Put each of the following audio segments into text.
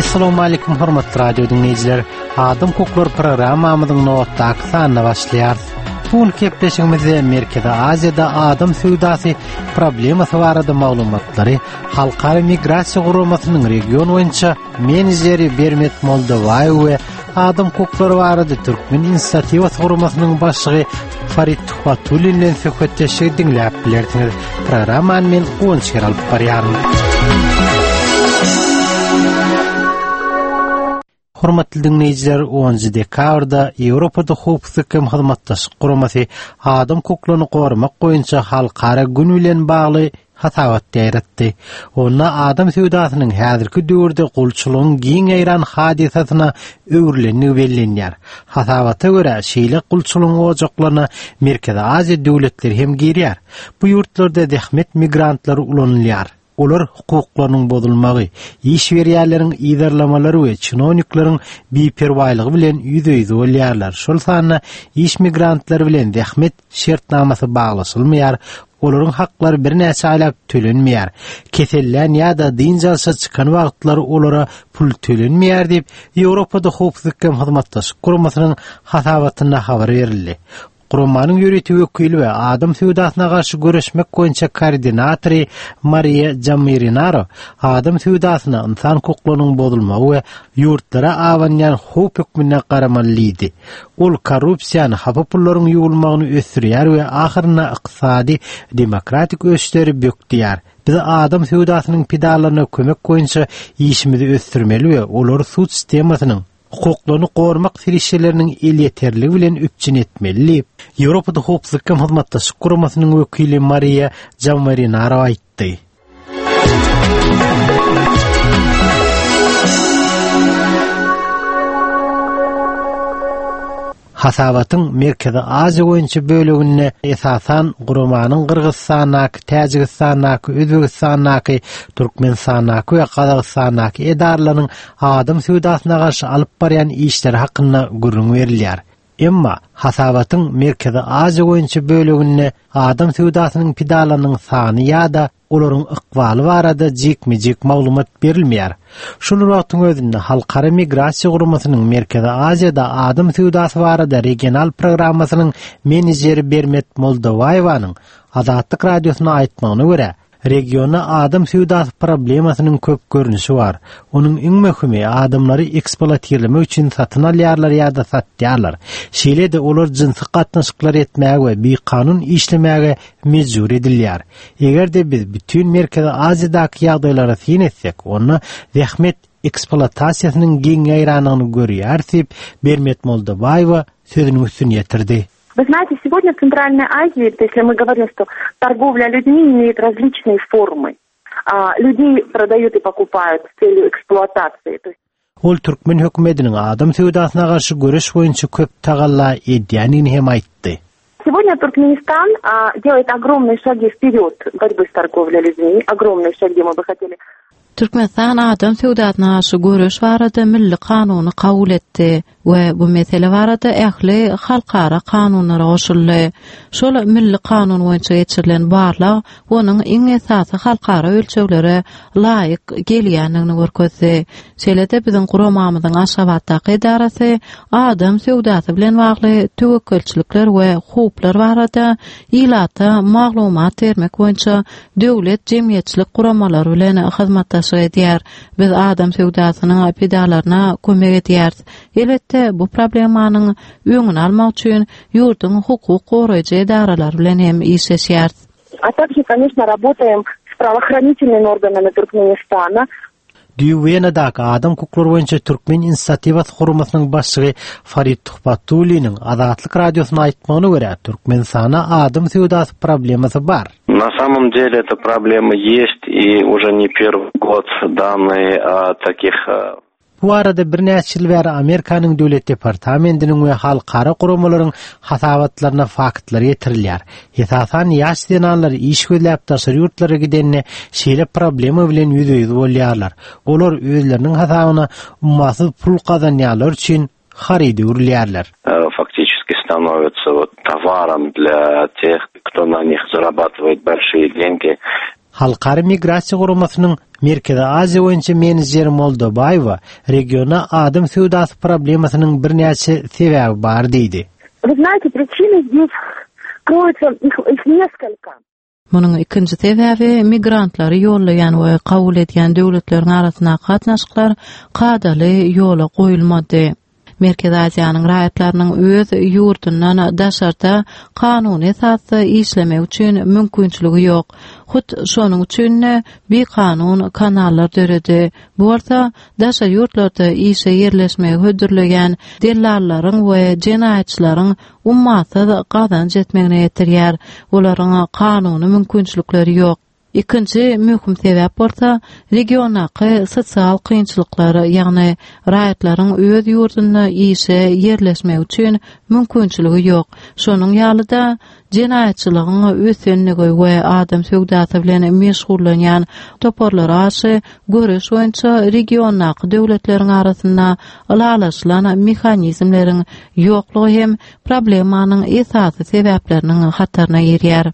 Assalamu hormatly radio diňleýjiler. Adam hukuklary programmamyzyň nobatdaky sanyna başlaýarys. Bu gün gepleşigimizde Merkezi Aziýada adam söwdasy problemasy barada maglumatlary Halkara migrasiýa guramasynyň region boýunça menejeri Bermet Moldowaýew we adam hukuklary barada Türkmen inisiatiwasy guramasynyň başlygy Farid Tuhbatullin bilen söhbetdeşligi diňläp bilersiňiz. Programmany men Guwanç alyp barýaryn. Hormatly diňleýjiler, 10-njy dekabrda Ýewropada Howpsuzlyk hem Hyzmatdaşlyk Guramasy adam hukuklaryny goramak boýunça halkara gün bilen bagly hasabat ýaýratdy. Onda adam söwdasynyň häzirki döwürde gulçulygyň giň ýaýran hadysasyna öwrülendigi bellenýär. Hasabata görä, şeýle gulçulygyň ojaklaryna Merkezi Aziýa döwletleri hem girýär. Bu ýurtlarda zähmet migrantlary ulanylýar. Olar hukuklarynyň bozulmagy, iş berýänleriň yzarlamalary we çinownikleriň biperwaýlygy bilen ýüzbe-ýüz bolýarlar, şol sanda iş migrantlary bilen zähmet şertnamasy baglaşylmaýar, olaryň haklary birnäçe aýlap tölenmeýär, kesellän ýa-da dynç alşa çykan wagtlary olara pul tölenmeýär diýip, Ýewropada Howpsuzlyk hem Hyzmatdaşlyk Guramasynyň hasabatynda habar berildi. Guramanyň ýörite wekili we adam söwdasyna garşy göreşmek boýunça koordinatory Mariýa Jammirinaro adam söwdasyna ynsan hukuklarynyň bozulmagy we ýurtlara abanýan howp hökmünde garamaly diýdi. Ol korrupsiýany, hapa pullaryň ýuwulmagyny ösdürýär we ahyrynda ykdysady, demokratik ösüşleri bökdeýär. Biz adam söwdasynyň pidalaryna kömek boýunça işimizi ösdürmeli we olary sud sistemasynyň, hukuklaryny goramak serişdeleriniň elýeterligi bilen üpjün etmeli diýip, Ýewropada Howpsuzlyk hem Hyzmatdaşlyk Guramasynyň wekili Mariýa Jammarinaro aýtdy. Hasabatyň Merkezi Aziýa boýunça böleginde esasan guramanyň Gyrgyzystandaky, Täjigistandaky, Özbegistandaky, Türkmenistandaky we Gazagystandaky edaralarynyň adam söwdasyna garşy alyp barýan işleri hakynda gürrüň berilýär. Emma hasabatyň Merkezi Aziýa boýunça böleginde adam söwdasynyň pidalarynyň sany ýa-da olaryň ykbaly barada jikme-jik maglumat berilmeýär. Şol bir wagtyň özünde Halkara migrasiýa guramasynyň Merkezi Aziýada adam söwdasy barada regional programmasynyň menejeri Bermet Moldowaýewanyň Azatlyk Radiosyna aýtmagyna görä, regionda adam söwdasy problemasynyň köp görnüşi bar. Onuň iň möhümi, adamlary ekspluatirlemek üçin satyn alýarlar ýa-da satýarlar. Şeýle-de olar jynsy gatnaşyklar etmäge we bikanun işlemäge mejbur edilýär. Eger-de biz bütin Merkezi Aziýadaky ýagdaýlara syn etsek, onda zähmet ekspluatasiýasynyň giň ýaýrandygyny görýäris diýip, Bermet Moldobaýewa sözüniň üstüni ýetirdi. Вы знаете, сегодня в Центральной Азии, если мы говорим, что торговля людьми имеет различные формы, людей продают и покупают с целью эксплуатации. То есть Ol türkmen hökümetiniň adam söwdasyna garşy göreş boýunça köp tagalla edýändigini hem aýtdy. Сегодня Туркменистан а, делает огромные шаги вперед в борьбе с торговлей людьми, огромные шаги мы бы хотели. Türkmenistan adam söwdasyna garşy göreş barada milli kanuny kabul etdi we bu mesele barada ähli halkara kanunlara goşuldy. Şol milli kanun boýunça geçirilen barlag onuň iň esasy halkara ölçeglere laýyk gelýändigini görkezdi. Şeýle-de biziň guramamyzyň Aşgabatdaky edarasy adam söwdasy bilen bagly töwekgelçilikler we howplar barada ilata maglumat bermek boýunça döwlet jemgyýetçilik guramalary bilen hyzmatdaşlyk edýär. Biz adam söwdasynyň pidalaryna kömek edýäris. Elbetde, bu problemanyň öňüni almak üçin ýurduň hukuk goraýjy edaralary bilen hem işleşýäris. A также, конечно, работаем с правоохранительными органами Туркменистана. Düýn Wenadaky Adam hukuklary boýunça Türkmen inisiatiwasy guramasynyň başlygy Farid Tuhbatulliniň Azatlyk Radiosyna aýtmagyna görä, Türkmenistanda adam söwdasy problemasy bar. Na samom dele эта problema есть и уже ne первый год данные о таких Bu barada birnäçe ýyl bäri Amerikanyň Döwlet departamentiniň we halkara guramalaryň hasabatlarynda faktlar getirilýär. Esasan ýaş zenanlar iş gözläp daşary ýurtlara gidende şeýle problema bilen ýüzbe-ýüz bolýarlar. Olar özleriniň hasabyna ummasyz pul gazanýanlar üçin haryda öwrülýärler. Faktiçeski stanovitsa wot towarom dlya teh, kto na nih zarabatywaet bolşiye dengi. Halkara migrasiýa guramasynyň. Merkezi Aziýa boýunça menejeri Moldobaýewa regionda adam söwdasy problemasynyň birnäçe sebäbi bar diýdi. Вы знаете, причины здесь кроются, их, их несколько. Munuň ikinji sebäbi migrantlary ýollaýan we kabul edýän döwletleriň arasyndaky gatnaşyklar kadaly ýola goýulmady. Merkezi Aziýanyň raýatlarynyň öz ýurdundan daşarda kanuny esasda işlemegi üçin mümkinçiligi ýok. Hut şonuň üçin-de bikanun kanallar döredi. Bu bolsa daşary ýurtlarda işe ýerleşmegi hödürleýän dellallaryň we jenaýatçylaryň ummasyz gazanç etmegine getirýär. Olaryň kanuny mümkinçilikleri ýok. Ikinji möhüm sebäp bolsa, regiondaky sosial kynçylyklar, ýagny raýatlaryň öz ýurdunda işe ýerleşmegi üçin mümkinçiligi ýok. Şonuň ýaly-da, jenaýatçylygyň ösenligi we adam söwdasy bilen meşgullanýan toparlara garşy göreş boýunça regiondaky döwletleriň arasynda ylalaşylan mehanizmleriň ýoklugy hem problemanyň esasy sebäpleriniň hataryna girýär.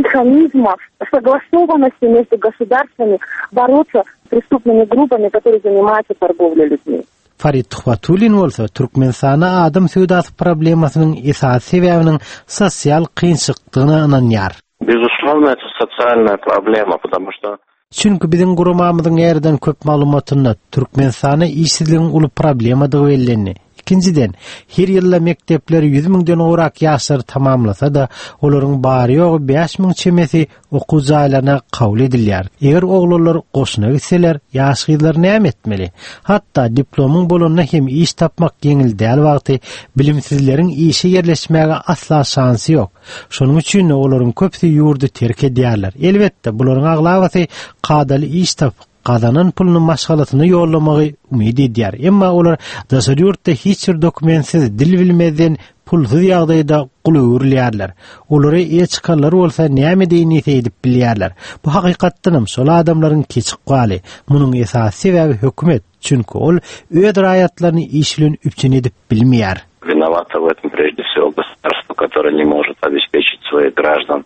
Механизмов согласованности между государствами бороться с преступными группами, которые занимаются торговлей людьми. Farid Tuhbatullin bolsa Türkmenistanda adam söwdasy problemasynyň esasy sebäbiniň sosial kynçylykdygyna ynanýar. Безусловно, это социальная проблема, потому что Çünki biziň guramamyzyň ýerden köp maglumatynda Türkmenistanda işsizligiň uly problemadygy bellendi. Ikinjiden, her ýylda mekdepleri 100 müňden gowrak ýaşlar tamamlasa-da, olaryň bary-ýogy 5000 çemesi okuw jaýlaryna kabul edilýär. Eger oglanlar goşuna gitseler, ýaş gyzlar näme etmeli? Hatda diplomyň bolanda hem iş tapmak ýeňil däl wagty bilimsizleriň işe ýerleşmäge asla şansy ýok. Şonuň üçin-de olaryň köpüsi ýurdy terk edýärler. Elbetde, bularyň aglabasy kadaly iş tapyp, gazanan puluny maşgalasyna ýollamagy umyt edýär. Emma olar daşary ýurtda hiç bir dokumentsiz, dil bilmezden, pulsuz ýagdaýda gula öwrülýärler. Olara eýe çykanlar bolsa näme edeýin diýse edip bilýärler. Bu hakykatdanam şol adamlaryň keç ykbaly. Munuň esasy sebäbi hökümet. Çünki ol öz raýatlaryny iş bilen üpjün edip bilmeýär. Виновато в этом прежде всего государство, которое не может обеспечить своих граждан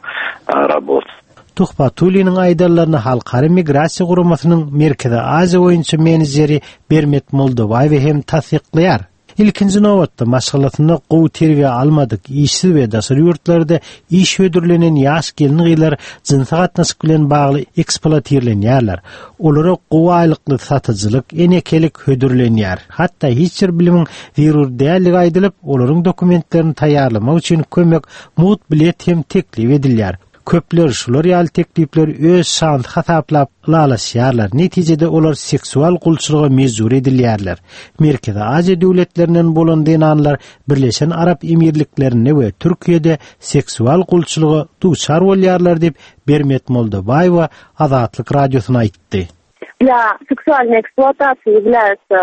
работой. Tuhbatulliniň aýdanlaryny Halkara migrasiýa guramasynyň Merkezi Aziýa boýunça menejeri Bermet Moldobaýewa hem tassyklaýar. Ilkinji nobatda, maşgalasynda gowy terbiýe almadyk, işsiz we daşary ýurtlarda iş hödürlenen ýaş gelin-gyzlar jynsy gatnaşyk bilen bagly ekspluatirlenýärler. Olara gowy aýlykly satyjylyk, enekelik hödürlenýär. Hatda hiç bir bilimiň zerur däldigi aýdylyp, olaryň dokumentlerini taýýarlamak üçin kömek, mugt bilet hem teklip edilýär. Köpler şular ýaly teklipleri öz şansy hasaplap ylalaşýarlar, netijede olar seksual gulçulyga mejbur edilýärler. Merkezi Aziýa döwletlerinden bolan zenanlar Birleşen Arap Emirliklerinde we Türkiýede seksual gulçulyga duçar bolýarlar diýip, Bermet Moldobaýewa Azatlyk Radiosyna aýtdy. Для сексуальной эксплуатации являются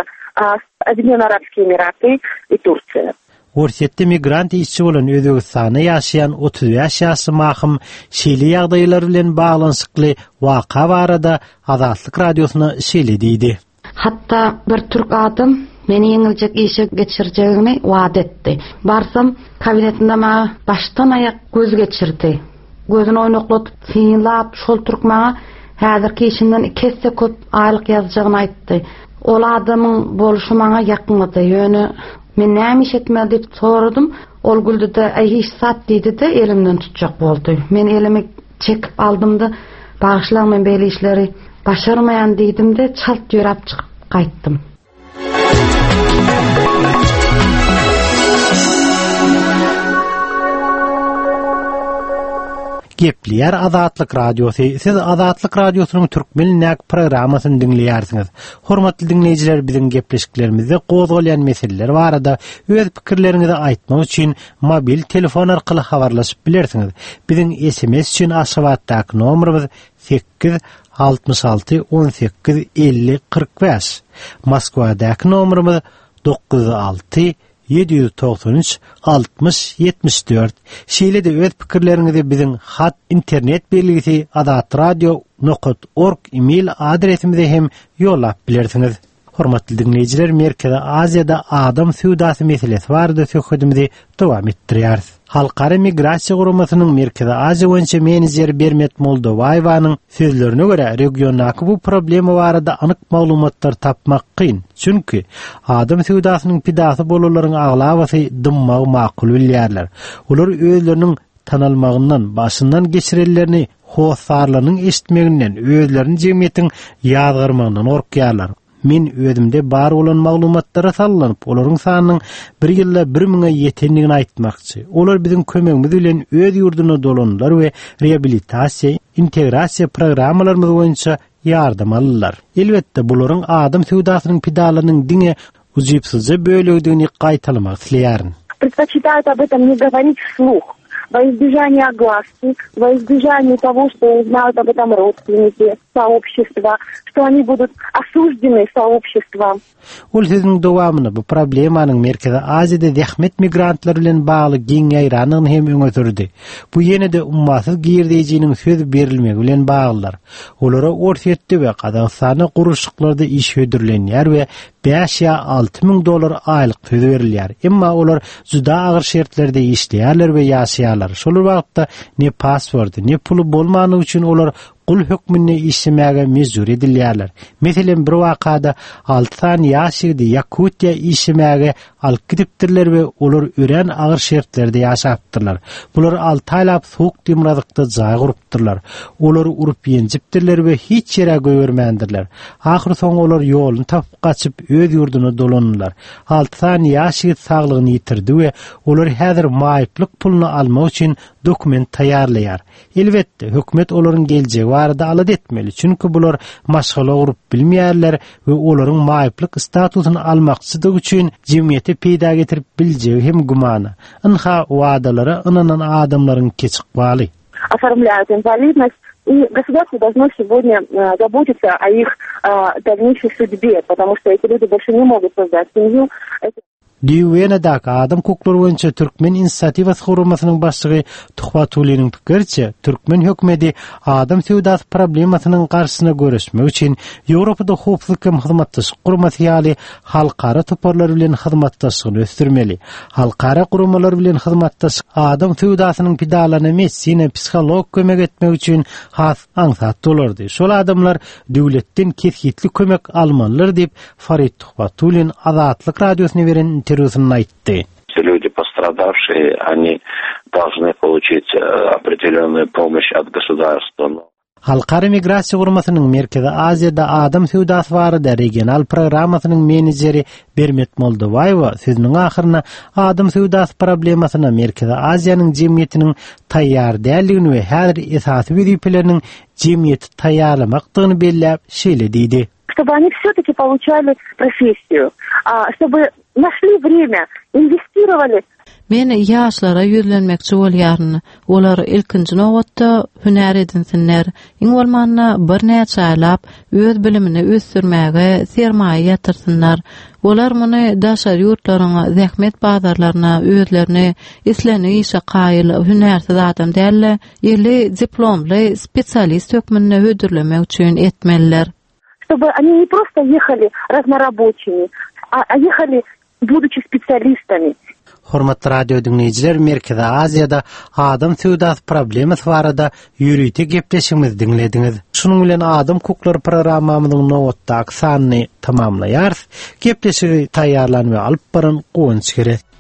Объединенные Арабские Эмираты и Турция. Orsýetde migrant işçi bolan Özbegistanda ýaşaýan 35 ýaşly Mahym şeýle ýagdaýlar bilen baglanyşykly waka barada Azatlyk Radiosyna şeýle diýdi. Hatda bir türk adam meni ýeňiljek işe geçirjegini wada etdi. Barsam, kabinetinde maňa başdan-aýak göz geçirdi. Gözüni oýnakladyp synlap, şol türk maňa häzirki işimden iki esse köp aýlyk ýazjagyny aýtdy. Ol adamyň bolşy maňa ýakmady. Ýöne men näme iş etmeli diýip soradym. Ol güldi-de, Äý hiç zat diýdi-de, elimden tutjak boldy. Men elimi çekip aldym-da, Bagyşlaň men beýle işleri başarmaýan diýdim-de, çalt ýöräp çykyp gaýtdym. Gepleýär Azatlyk Radiosy. Siz Azatlyk Radiosynyň türkmen dilindäki programmasyny diňleýärsiňiz. Hormatly diňleýjiler, biziň gepleşiklerimizde gozgalýan meseleler barada öz pikirleriňizi aýtmak üçin mobil telefon arkaly habarlaşyp bilersiňiz. Biziň SMS üçin Aşgabatdaky nomerimiz 8 66 18 50 45. Moskwadaky nomerimiz 906 793 60 74. Şeýle-de öz pikirleriňizi biziň hat internet belgisi azatradio nokat org email adresimize hem ýollap bilersiňiz. Hormatly diňleýjiler, Merkezi Aziýada adam söwdasy meselesi barada söhbedimizi dowam etdirýäris. Halkara migrasiýa guramasynyň Merkezi Aziýa boýunça menejeri Bermet Moldowaýewanyň sözlerine görä, regiondaky bu problema barada anyk maglumatlar tapmak kyn. Çünki adam söwdasynyň pidasy bolanlaryň aglabasy dymmagy makul bilýärler. Olar özleriniň tanalmagyndan, başyndan geçirenlerini hossarlarynyň eşitmeginden, özlerini jemgyýetiň ýazgarmagyndan gorkýarlar. Men özümde bar bolan maglumatlara salgylanyp, olaryň sanynyň bir ýylda bir müňe ýetendigini aýtmakçy. Olar biziň kömegimiz bilen öz ýurduna dolandylar we reabilitasiýa, integrasiýa programmalarymyz boýunça ýardam aldylar. Elbetde, bularyň adam söwdasynyň pidalarynyň diňe ujypsyzja bölegidigini gaýtalamak isleýärin. Предпочитают об этом не говорить вслух, во избежание огласки, во избежание того, что узнают об этом родственники, сообщества, что они будут осуждены сообществом. Ol sözüniň dowamynda bu problemanyň Merkezi Aziýada zähmet migrantlary bilen bagly giň ýaýrandygyny hem öňe sürdi. Bu ýene-de ummasyz girdejiniň söz berilmegi bilen baglydyr. Olara Orsýetde we Gazagystanda gurluşyklarda iş hödürlenýär we bäş ýa 6000 dollar aýlyk söz berilýär. Emma olar juda agyr şertlerde işleýärler we ýaşaýarlar. Şol bir wagtda ne pasporty, ne puly bolmanlygy üçin olar gul hökmünde işlemäge mejbur edilýärler. Meselem, bir wakada alty sany ýaş ýigidi Ýakutiýa işlemäge alyp gidipdirler we olar örän agyr şertlerde ýaşapdyrlar. Bular alty aýlap sowuk demirgazykda jaý gurupdyrlar. Olary urup-ýenjipdirler we hiç ýere goýbermändirler. Ahyrsoňy olar ýoluny tapyp gaçyp, öz ýurduna dolandylar. Alty sany ýaş ýigit saglygyny ýitirdi we olar häzir maýyplyk puluny almak üçin dokument taýýarlaýar. Elbetde, hökümet olaryň geljegi barada alada etmeli, çünki bular maşgala gurup bilmeýärler we olaryň maýyplyk statusyny almakçydygy üçin jemgyýete peýda getirip biljegi hem gümana. Ynha, wadalara ynanan adamlaryň keç ykbaly. Оформляют инвалидность, и государство должно сегодня э, заботиться о их э, дальнейшей судьбе, потому что эти люди больше не могут создать семью. Düýbi Wenadaky adam hukuklary boýunça Türkmen inisiatiwasy guramasynyň başlygy Tuhbatulliniň pikiriçe, türkmen hökümeti adam söwdasy problemasynyň garşysyna göreşmek üçin Ýewropada Howpsuzlyk hem Hyzmatdaşlyk Guramasy ýaly halkara toparlar bilen hyzmatdaşlygyny ösdürmeli. Halkara guramalar bilen hyzmatdaşlyk adam söwdasynyň pidalaryna medisina, psihologik kömek etmek üçin has aňsat bolardy. Şol adamlar döwletden kesgitli kömek almalydyr diýip, Farid Tuhbatullin Azatlyk Radiosyna beren interwýusynda aýtdy. Люди пострадавшие, они должны получить э, определенную помощь от государства. Halkara migrasiýa guramasynyň Merkezi Aziýada adam söwdasy barada regional programmasynyň menejeri Bermet Moldowaýewa sözüniň ahyrynda adam söwdasy problemasyna Merkezi Aziýanyň jemgyýetiniň taýýar däldigini we häzir esasy wezipeleriniň jemgyýeti taýýarlamakdygyny belläp, şeýle diýdi. Чтобы они все-таки получали профессию, чтобы нашли время, инвестировали Men ýaşlara ýüzlenmekçi bolýaryn. Olar ilkinji nobatda hünär edinsinler. Iň bolmanda birnäçe aýlap öz bilimini ösdürmäge sermaýa ýatyrsynlar. Olar muny daşary ýurtlaryň zähmet bazarlaryna özlerini islendik işe kaýyl hünärsiz adam däl-de, eli diplomly spesialist hökmünde hödürlemek üçin etmeliler. Чтобы они не просто ехали разнорабочими, а ехали будучи специалистами. Hormatly radio diňleýjiler, Merkezi Aziýada adam söwdasy problemasy barada ýörite gepleşigimizi diňlediňiz. Şunuň bilen Adam hukuklary programmamyzyň nobatdaky sanyny tamamlaýarys. Gepleşigi taýýarlan we alyp baran Guwanç Gerek.